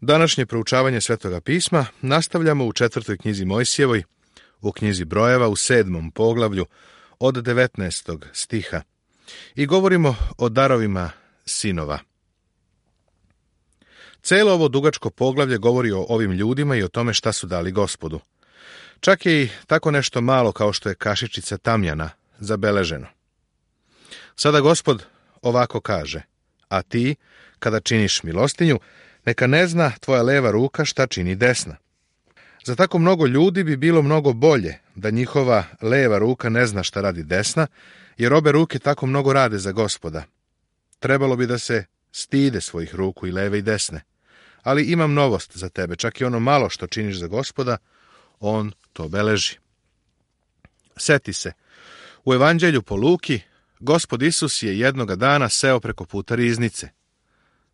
Današnje proučavanje Svetoga pisma nastavljamo u 4. knjizi Mojsijevoj, u knjizi Brojeva u 7. poglavlju od 19. stiha i govorimo o darovima sinova. Celo ovo dugačko poglavlje govori o ovim ljudima i o tome šta su dali Gospodu. Čak je i tako nešto malo kao što je kašičica tamjana zabeleženo. Sada Gospod ovako kaže: a ti, kada činiš milostinju, neka ne zna tvoja leva ruka šta čini desna. Za tako mnogo ljudi bi bilo mnogo bolje da njihova leva ruka ne zna šta radi desna, jer obe ruke tako mnogo rade za Gospoda. Trebalo bi da se stide svojih ruku, i leve i desne. Ali imam novost za tebe, čak i ono malo što činiš za Gospoda, on to beleži. Seti se, u Evanđelju po Luki, Gospod Isus je jednoga dana seo preko puta riznice.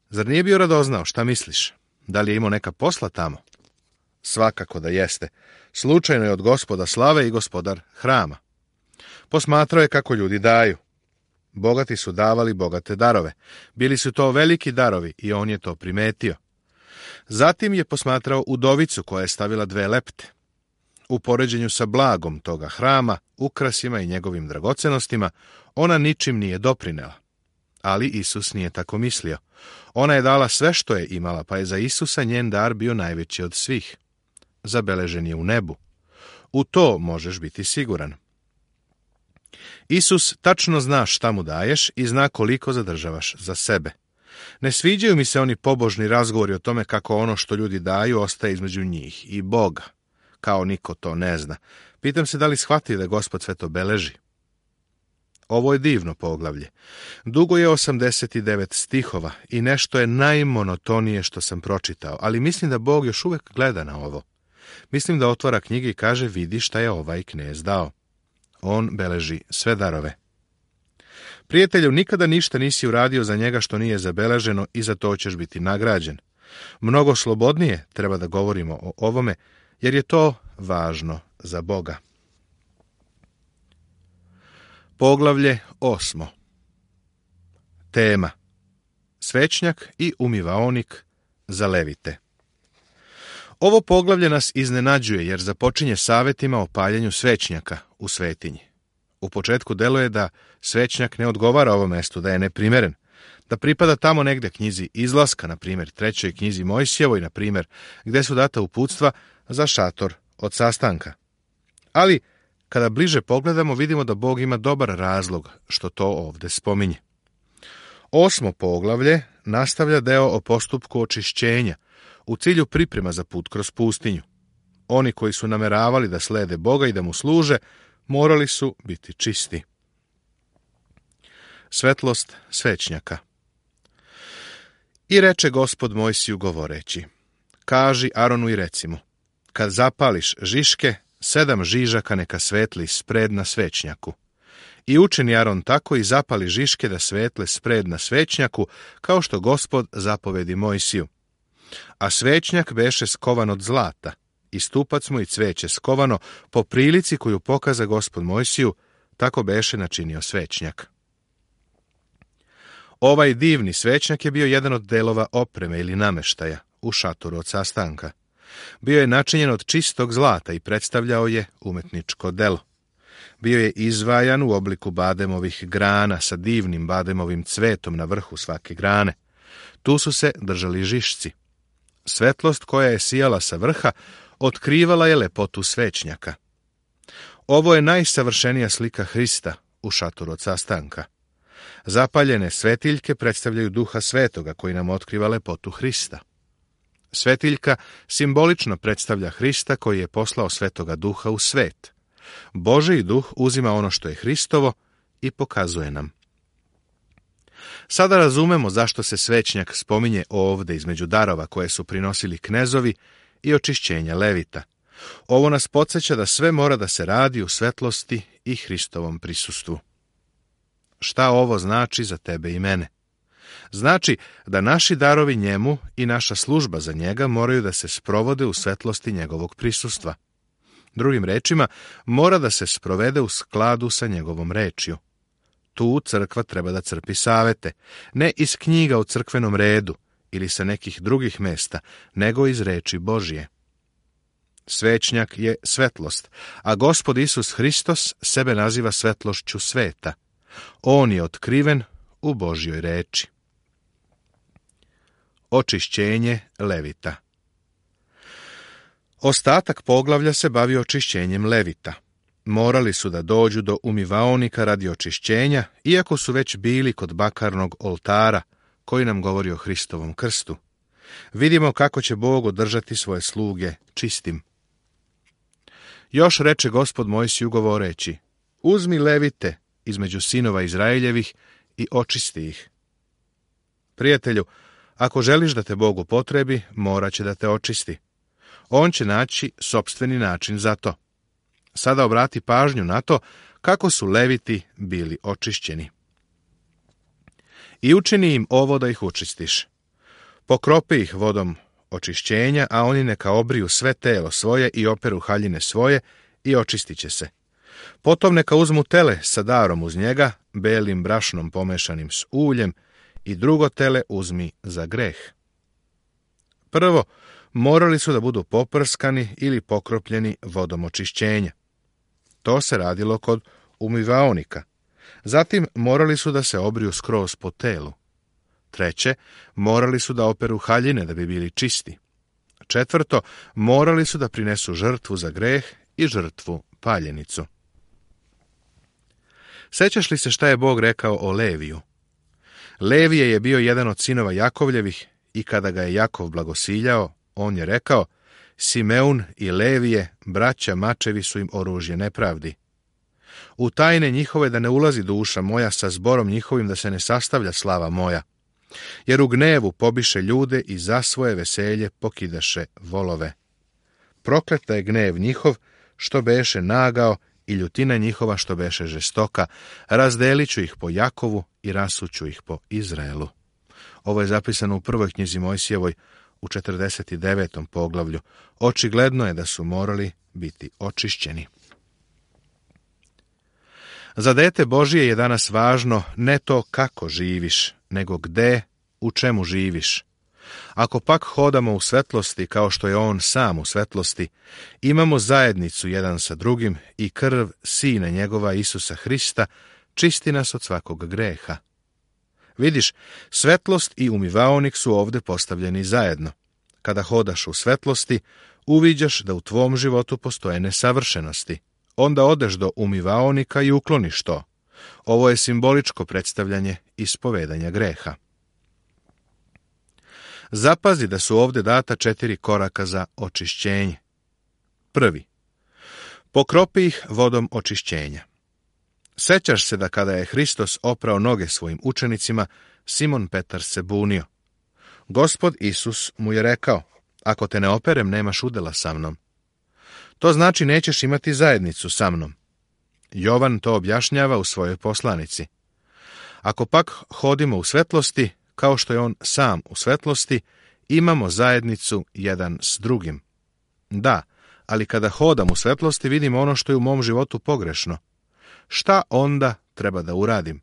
Zar nije bio radoznao, šta misliš? Da li je imao neka posla tamo? Svakako da jeste. Slučajno je od Gospoda slave i gospodar hrama. Posmatrao je kako ljudi daju. Bogati su davali bogate darove. Bili su to veliki darovi i on je to primetio. Zatim je posmatrao udovicu koja je stavila 2 lepte. U poređenju sa blagom toga hrama, ukrasima i njegovim dragocenostima, ona ničim nije doprinela. Ali Isus nije tako mislio. Ona je dala sve što je imala, pa je za Isusa njen dar bio najveći od svih. Zabeležen je u nebu. U to možeš biti siguran. Isus tačno zna šta mu daješ i zna koliko zadržavaš za sebe. Ne sviđaju mi se oni pobožni razgovori o tome kako ono što ljudi daju ostaje između njih i Boga. Kao niko to ne zna. Pitam se da li shvati da Gospod sve to beleži. Ovo je divno poglavlje. Dugo je 89 stihova i nešto je najmonotonije što sam pročitao, ali mislim da Bog još uvek gleda na ovo. Mislim da otvara knjige i kaže: vidi šta je ovaj knez dao. On beleži sve darove. Prijatelju, nikada ništa nisi uradio za njega što nije zabeleženo i za to ćeš biti nagrađen. Mnogo slobodnije treba da govorimo o ovome, jer je to važno za Boga. Poglavlje 8. Tema: svećnjak i umivaonik za levite. Ovo poglavlje nas iznenađuje jer započinje savetima o paljenju svećnjaka u svetinji. U početku deluje da svećnjak ne odgovara ovom mestu, da je neprimeren, da pripada tamo negde knjizi Izlaska, na primjer 3. knjizi Mojsijevoj, na primjer, gde su data uputstva za šator od sastanka. Ali kada bliže pogledamo, vidimo da Bog ima dobar razlog što to ovde spominje. 8. poglavlje nastavlja deo o postupku očišćenja u cilju priprema za put kroz pustinju. Oni koji su nameravali da slede Boga i da mu služe, morali su biti čisti. Svetlost svećnjaka. I reče Gospod Mojsiju govoreći: kaži Aronu i reci mu, kad zapališ žiške, 7 žižaka neka svetli spred na svećnjaku. I učini Aron tako i zapali žiške da svetle spred na svećnjaku, kao što Gospod zapovedi Mojsiju. A svećnjak beše skovan od zlata, i stupac mu i cveće skovano, po prilici koju pokaza Gospod Mojsiju, tako beše načinio svećnjak. Ovaj divni svećnjak je bio jedan od delova opreme ili nameštaja u šatoru od sastanka. Bio je načinjen od čistog zlata i predstavljao je umetničko delo. Bio je izvajan u obliku bademovih grana sa divnim bademovim cvetom na vrhu svake grane. Tu su se držali žišci. Svetlost koja je sijala sa vrha otkrivala je lepotu svećnjaka. Ovo je najsavršenija slika Hrista u šatoru od sastanka. Zapaljene svetiljke predstavljaju Duha Svetoga koji nam otkriva lepotu Hrista. Svetiljka simbolično predstavlja Hrista koji je poslao Svetoga Duha u svet. Božji Duh uzima ono što je Hristovo i pokazuje nam. Sada razumemo zašto se svećnjak spominje ovde između darova koje su prinosili knezovi i očišćenja levita. Ovo nas podsjeća da sve mora da se radi u svetlosti i Hristovom prisustvu. Šta ovo znači za tebe i mene? Znači da naši darovi njemu i naša služba za njega moraju da se sprovode u svetlosti njegovog prisustva. Drugim rečima, mora da se sprovede u skladu sa njegovom rečju. Tu crkva treba da crpi savete, ne iz knjiga u crkvenom redu ili sa nekih drugih mesta, nego iz reči Božje. Svećnjak je svetlost, a Gospod Isus Hristos sebe naziva svetlošću sveta. On je otkriven u Božjoj reči. Očišćenje Levita. Ostatak poglavlja se bavi očišćenjem Levita. Morali su da dođu do umivaonika radi očišćenja, iako su već bili kod bakarnog oltara, koji nam govori o Hristovom krstu. Vidimo kako će Bog održati svoje sluge čistim. Još reče Gospod Mojsiju govoreći: uzmi Levite između sinova Izraeljevih i očisti ih. Prijatelju, ako želiš da te Bog upotrebi, morat će da te očisti. On će naći sopstveni način za to. Sada obrati pažnju na to kako su Leviti bili očišćeni. I učini im ovo da ih učistiš. Pokropi ih vodom očišćenja, a oni neka obriju sve telo svoje i operu haljine svoje i očistit će se. Potom neka uzmu tele sa darom uz njega, belim brašnom pomešanim s uljem, i drugo tele uzmi za greh. Prvo, morali su da budu poprskani ili pokropljeni vodom očišćenja. To se radilo kod umivaonika. Zatim morali su da se obriju skroz po telu. Treće, morali su da operu haljine da bi bili čisti. Četvrto, morali su da prinesu žrtvu za greh i žrtvu paljenicu. Sećaš li se šta je Bog rekao o Leviju? Levije je bio jedan od sinova Jakovljevih i kada ga je Jakov blagosiljao, on je rekao: Simeun i Levije, braća mačevi, su im oružje nepravdi. U tajne njihove da ne ulazi duša moja, sa zborom njihovim da se ne sastavlja slava moja. Jer u gnevu pobiše ljude i za svoje veselje pokidaše volove. Prokleta je gnev njihov što beše nagao i ljutina njihova što beše žestoka. Razdelit ću ih po Jakovu i rasuću ih po Izraelu. Ovo je zapisano u prvoj knjizi Mojsijevoj u 49. poglavlju. Očigledno je da su morali biti očišćeni. Za dete Božije je danas važno ne to kako živiš, nego gde, u čemu živiš. Ako pak hodamo u svetlosti, kao što je on sam u svetlosti, imamo zajednicu jedan sa drugim i krv Sina njegova Isusa Hrista čisti nas od svakog greha. Vidiš, svetlost i umivaonik su ovde postavljeni zajedno. Kada hodaš u svetlosti, uviđaš da u tvom životu postoje nesavršenosti. Onda odeš do umivaonika i ukloniš to. Ovo je simboličko predstavljanje ispovedanja greha. Zapazi da su ovde data 4 koraka za očišćenje. Prvi. Pokropi ih vodom očišćenja. Sećaš se da kada je Hristos oprao noge svojim učenicima, Simon Petar se bunio. Gospod Isus mu je rekao: ako te ne operem, nemaš udela sa mnom. To znači nećeš imati zajednicu sa mnom. Jovan to objašnjava u svojoj poslanici. Ako pak hodimo u svetlosti, kao što je on sam u svetlosti, imamo zajednicu jedan s drugim. Da, ali kada hodam u svetlosti, vidim ono što je u mom životu pogrešno. Šta onda treba da uradim?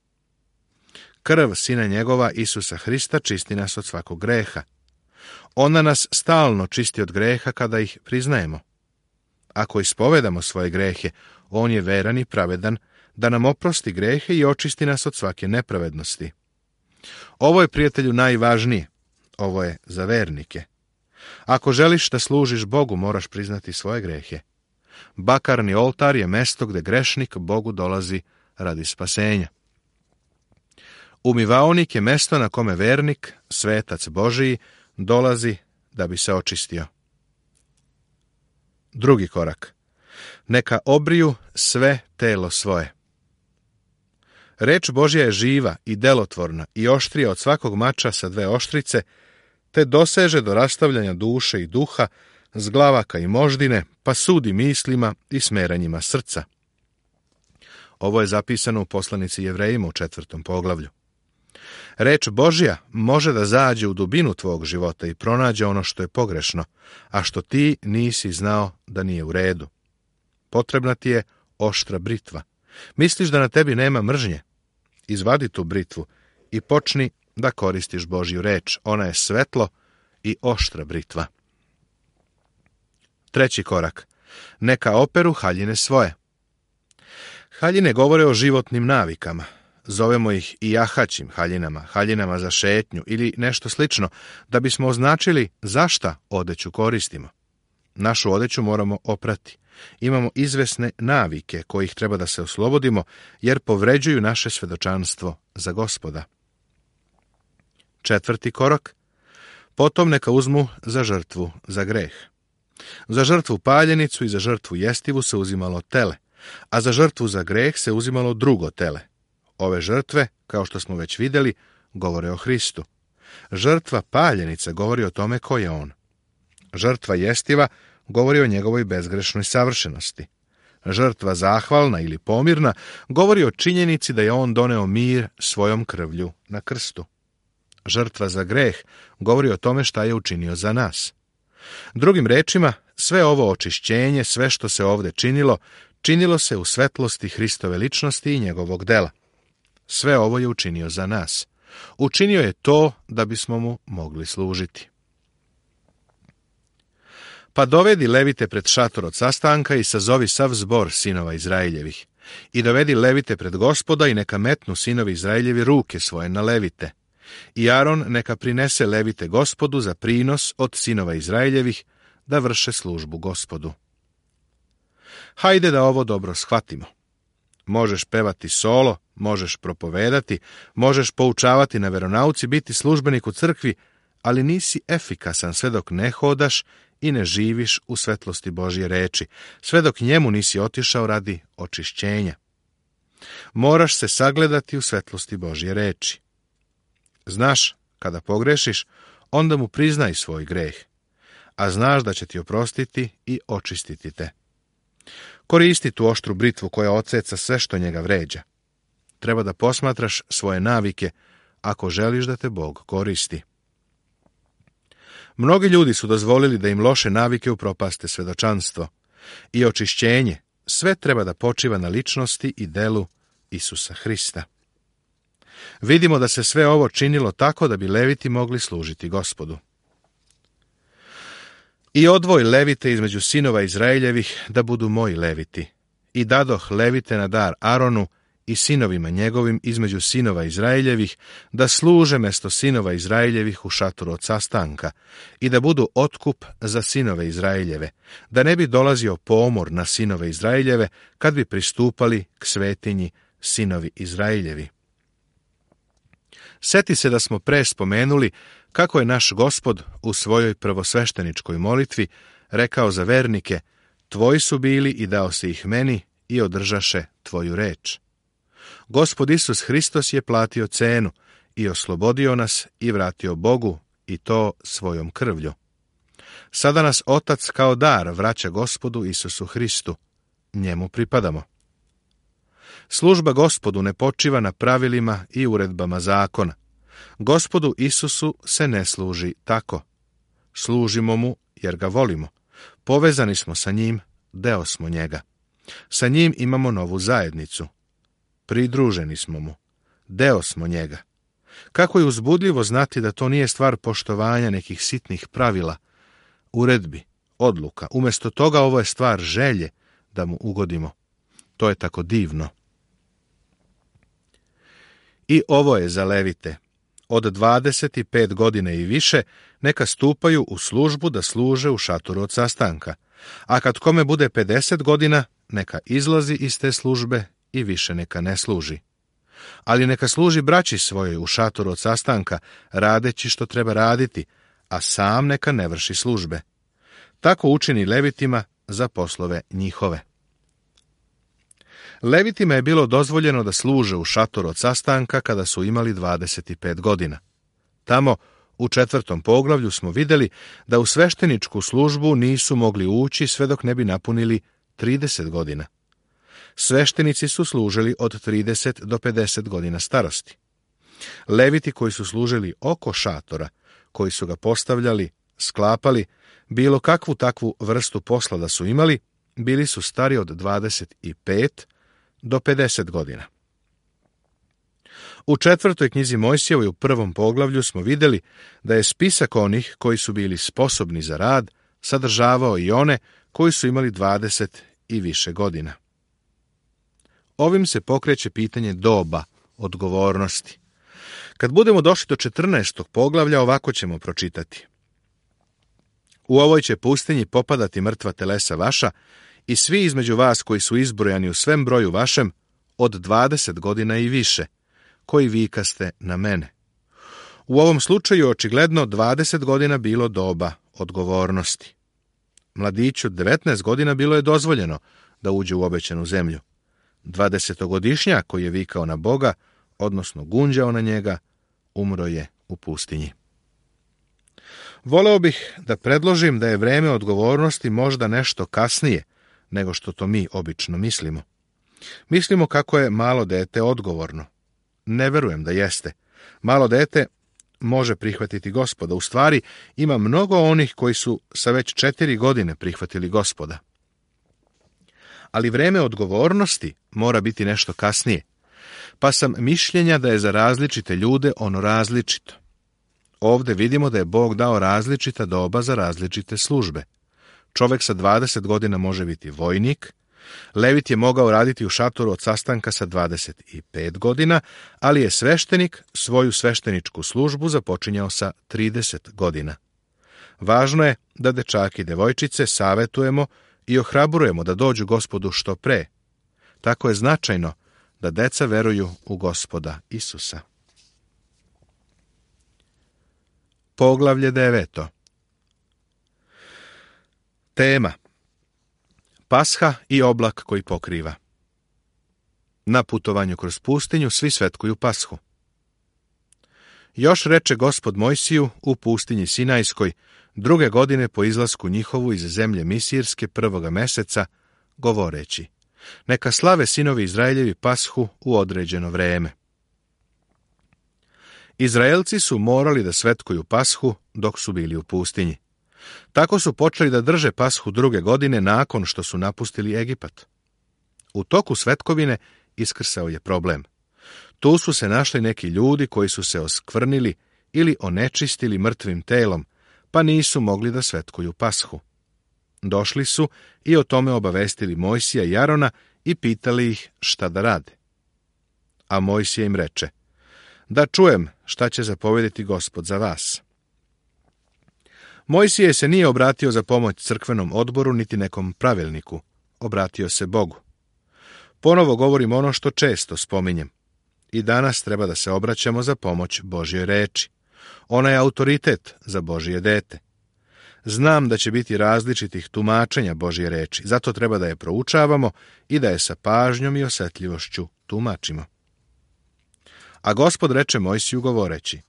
Krv Sina njegova Isusa Hrista čisti nas od svakog greha. Ona nas stalno čisti od greha kada ih priznajemo. Ako ispovedamo svoje grehe, on je veran i pravedan da nam oprosti grehe i očisti nas od svake nepravednosti. Ovo je, prijatelju, najvažnije. Ovo je za vernike. Ako želiš da služiš Bogu, moraš priznati svoje grehe. Bakarni oltar je mesto gde grešnik Bogu dolazi radi spasenja. Umivaonik je mesto na kome vernik, svetac Božiji, dolazi da bi se očistio. Drugi korak. Neka obriju sve telo svoje. Reč Božja je živa i delotvorna i oštrija od svakog mača sa 2 oštrice, te doseže do rastavljanja duše i duha, zglavaka i moždine, pa sudi mislima i smeranjima srca. Ovo je zapisano u poslanici Jevrejima u 4. poglavlju. Reč Božja može da zađe u dubinu tvog života i pronađe ono što je pogrešno, a što ti nisi znao da nije u redu. Potrebna ti je oštra britva. Misliš da na tebi nema mržnje? Izvadi tu britvu i počni da koristiš Božju reč. Ona je svetlo i oštra britva. 3. korak. Neka operu haljine svoje. Haljine govore o životnim navikama. Zovemo ih i jahaćim haljinama, haljinama za šetnju ili nešto slično, da bismo označili zašta odeću koristimo. Našu odeću moramo oprati. Imamo izvesne navike kojih treba da se oslobodimo, jer povređuju naše svedočanstvo za Gospoda. 4. korak. Potom neka uzmu za žrtvu za greh. Za žrtvu paljenicu i za žrtvu jestivu se uzimalo tele, a za žrtvu za greh se uzimalo drugo tele. Ove žrtve, kao što smo već vidjeli, govore o Hristu. Žrtva paljenica govori o tome ko je on. Žrtva jestiva govori o njegovoj bezgrešnoj savršenosti. Žrtva zahvalna ili pomirna govori o činjenici da je on doneo mir svojom krvlju na krstu. Žrtva za greh govori o tome šta je učinio za nas. Drugim rečima, sve ovo očišćenje, sve što se ovdje činilo se u svetlosti Hristove ličnosti i njegovog dela. Sve ovo je učinio za nas. Učinio je to da bismo mu mogli služiti. Pa dovedi levite pred šator od sastanka i sazovi sav zbor sinova Izraeljevih. I dovedi levite pred Gospoda i neka metnu sinovi Izraeljevi ruke svoje na levite. I Aron neka prinese levite Gospodu za prinos od sinova Izraeljevih da vrše službu Gospodu. Hajde da ovo dobro shvatimo. Možeš pevati solo, možeš propovedati, možeš poučavati na veronauci, biti službenik u crkvi, ali nisi efikasan sve dok ne hodaš i ne živiš u svetlosti Božje reči, sve dok njemu nisi otišao radi očišćenja. Moraš se sagledati u svetlosti Božje reči. Znaš, kada pogrešiš, onda mu priznaj svoj greh, a znaš da će ti oprostiti i očistiti te. Koristi tu oštru britvu koja odseca sve što njega vređa. Treba da posmatraš svoje navike ako želiš da te Bog koristi. Mnogi ljudi su dozvolili da im loše navike upropaste svedočanstvo. I očišćenje, sve treba da počiva na ličnosti i delu Isusa Hrista. Vidimo da se sve ovo činilo tako da bi leviti mogli služiti Gospodu. I odvoj levite između sinova Izraeljevih da budu moji leviti. I dadoh levite na dar Aronu i sinovima njegovim između sinova Izraeljevih da služe mesto sinova Izraeljevih u šatoru od sastanka i da budu otkup za sinove Izraeljeve, da ne bi dolazio pomor na sinove Izraeljeve kad bi pristupali k svetinji sinovi Izraeljevi. Seti se da smo pre spomenuli kako je naš Gospod u svojoj prvosvešteničkoj molitvi rekao za vernike: tvoji su bili i dao si ih meni i održaše tvoju reč. Gospod Isus Hristos je platio cenu i oslobodio nas i vratio Bogu, i to svojom krvlju. Sada nas Otac kao dar vraća Gospodu Isusu Hristu. Njemu pripadamo. Služba Gospodu ne počiva na pravilima i uredbama zakona. Gospodu Isusu se ne služi tako. Služimo mu jer ga volimo. Povezani smo sa njim, deo smo njega. Sa njim imamo novu zajednicu. Pridruženi smo mu. Deo smo njega. Kako je uzbudljivo znati da to nije stvar poštovanja nekih sitnih pravila, uredbi, odluka. Umjesto toga ovo je stvar želje da mu ugodimo. To je tako divno. I ovo je za levite. Od 25 godina i više neka stupaju u službu da služe u šatoru od sastanka. A kad kome bude 50 godina, neka izlazi iz te službe i više neka ne služi. Ali neka služi braći svojoj u šatoru od sastanka, radeći što treba raditi, a sam neka ne vrši službe. Tako učini levitima za poslove njihove. Levitima je bilo dozvoljeno da služe u šatoru od sastanka kada su imali 25 godina. Tamo, u 4. poglavlju, smo vidjeli da u svešteničku službu nisu mogli ući sve dok ne bi napunili 30 godina. Sveštenici su služili od 30 do 50 godina starosti. Leviti koji su služili oko šatora, koji su ga postavljali, sklapali, bilo kakvu takvu vrstu posla da su imali, bili su stari od 25 do 50 godina. U 4. knjizi Mojsijevoj u 1. poglavlju smo vidjeli da je spisak onih koji su bili sposobni za rad sadržavao i one koji su imali 20 i više godina. Ovim se pokreće pitanje doba, odgovornosti. Kad budemo došli do 14. poglavlja, ovako ćemo pročitati. U ovoj će pustinji popadati mrtva telesa vaša i svi između vas koji su izbrojani u svem broju vašem od 20 godina i više, koji vikaste na mene. U ovom slučaju očigledno 20 godina bilo doba odgovornosti. Mladiću 19 godina bilo je dozvoljeno da uđe u obećanu zemlju. 20-godišnjak koji je vikao na Boga, odnosno gunđao na njega, umro je u pustinji. Voleo bih da predložim da je vreme odgovornosti možda nešto kasnije nego što to mi obično mislimo. Mislimo kako je malo dete odgovorno. Ne verujem da jeste. Malo dete može prihvatiti Gospoda. U stvari, ima mnogo onih koji su sa već 4 godine prihvatili Gospoda. Ali vreme odgovornosti mora biti nešto kasnije. Pa sam mišljenja da je za različite ljude ono različito. Ovdje vidimo da je Bog dao različita doba za različite službe. Čovjek sa 20 godina može biti vojnik, Levit je mogao raditi u šatoru od sastanka sa 25 godina, ali je sveštenik svoju svešteničku službu započinjao sa 30 godina. Važno je da dečaki i devojčice savetujemo i ohrabrujemo da dođu Gospodu što pre. Tako je značajno da deca veruju u Gospoda Isusa. Poglavlje 9. Tema: Pasha i oblak koji pokriva. Na putovanju kroz pustinju svi svetkuju Pashu. Još reče Gospod Mojsiju u pustinji Sinajskoj 2. godine po izlasku njihovu iz zemlje Misirske 1. meseca, govoreći: neka slave sinovi Izraeljevi Pashu u određeno vreme. Izraelci su morali da svetkuju Pashu dok su bili u pustinji. Tako su počeli da drže Pashu 2. godine nakon što su napustili Egipat. U toku svetkovine iskrsao je problem. Tu su se našli neki ljudi koji su se oskvrnili ili onečistili mrtvim telom, pa nisu mogli da svetkuju Pashu. Došli su i o tome obavestili Mojsija i Arona i pitali ih šta da rade. A Mojsije im reče: da čujem šta će zapovjediti Gospod za vas. Mojsije se nije obratio za pomoć crkvenom odboru niti nekom pravilniku, obratio se Bogu. Ponovo govorim ono što često spominjem. I danas treba da se obraćamo za pomoć Božjoj reči. Ona je autoritet za Božje dete. Znam da će biti različitih tumačenja Božje reči, zato treba da je proučavamo i da je sa pažnjom i osjetljivošću tumačimo. A Gospod reče Mojsiju govoreći: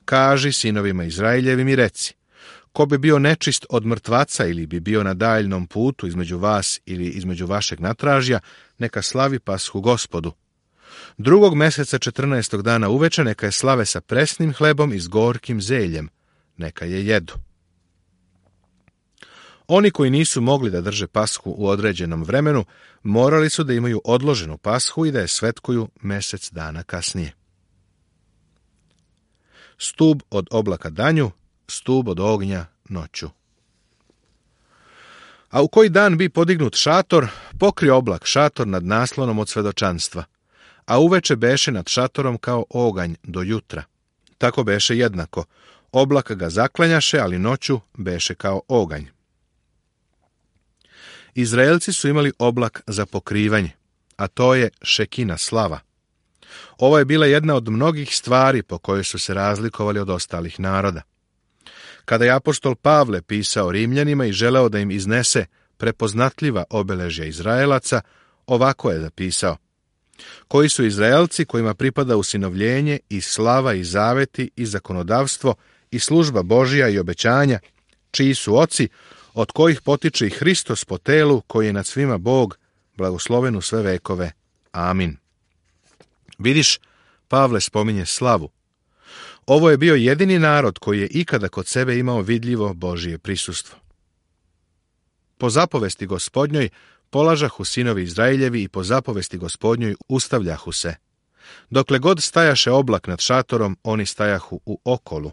kaži sinovima Izraeljevim i reci: ko bi bio nečist od mrtvaca ili bi bio na daljnom putu između vas ili između vašeg natražja, neka slavi Pashu Gospodu. 2. meseca 14. dana uveče neka je slave sa presnim hlebom i s gorkim zeljem, neka je jedu. Oni koji nisu mogli da drže Pashu u određenom vremenu, morali su da imaju odloženu Pashu i da je svetkuju mesec dana kasnije. Stub od oblaka danju, stub od ognja noću. A u koji dan bi podignut šator, pokrio oblak šator nad naslonom od svedočanstva, a uveče beše nad šatorom kao oganj do jutra. Tako beše jednako, oblak ga zaklanjaše, ali noću beše kao oganj. Izraelci su imali oblak za pokrivanje, a to je šekina slava. Ovo je bila jedna od mnogih stvari po kojoj su se razlikovali od ostalih naroda. Kada je apostol Pavle pisao Rimljanima i želeo da im iznese prepoznatljiva obeležja Izraelaca, ovako je zapisao: koji su Izraelci kojima pripada usinovljenje i slava i zaveti i zakonodavstvo i služba Božja i obećanja, čiji su oci, od kojih potiče i Hristos po telu, koji je nad svima Bog, blagosloven u sve vekove. Amin. Vidiš, Pavle spominje slavu. Ovo je bio jedini narod koji je ikada kod sebe imao vidljivo Božje prisustvo. Po zapovesti Gospodnjoj polažahu sinovi Izraeljevi i po zapovesti Gospodnjoj ustavljahu se. Dokle god stajaše oblak nad šatorom, oni stajahu u okolu.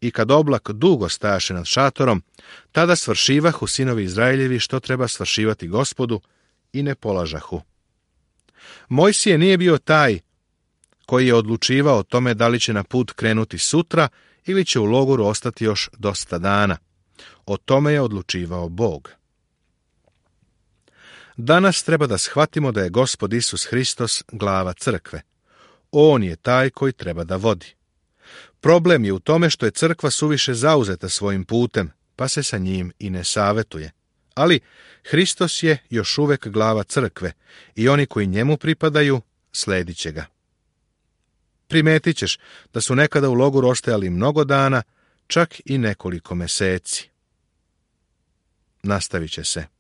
I kad oblak dugo stajaše nad šatorom, tada svršivahu sinovi Izraeljevi što treba svršivati Gospodu i ne polažahu. Mojsije nije bio taj koji je odlučivao o tome da li će na put krenuti sutra ili će u logoru ostati još dosta dana. O tome je odlučivao Bog. Danas treba da shvatimo da je Gospod Isus Hristos glava crkve. On je taj koji treba da vodi. Problem je u tome što je crkva suviše zauzeta svojim putem, pa se sa njim i ne savetuje. Ali Hristos je još uvek glava crkve i oni koji njemu pripadaju sledit će ga. Primetit ćeš da su nekada u logoru ostajali mnogo dana, čak i nekoliko meseci. Nastavit će se.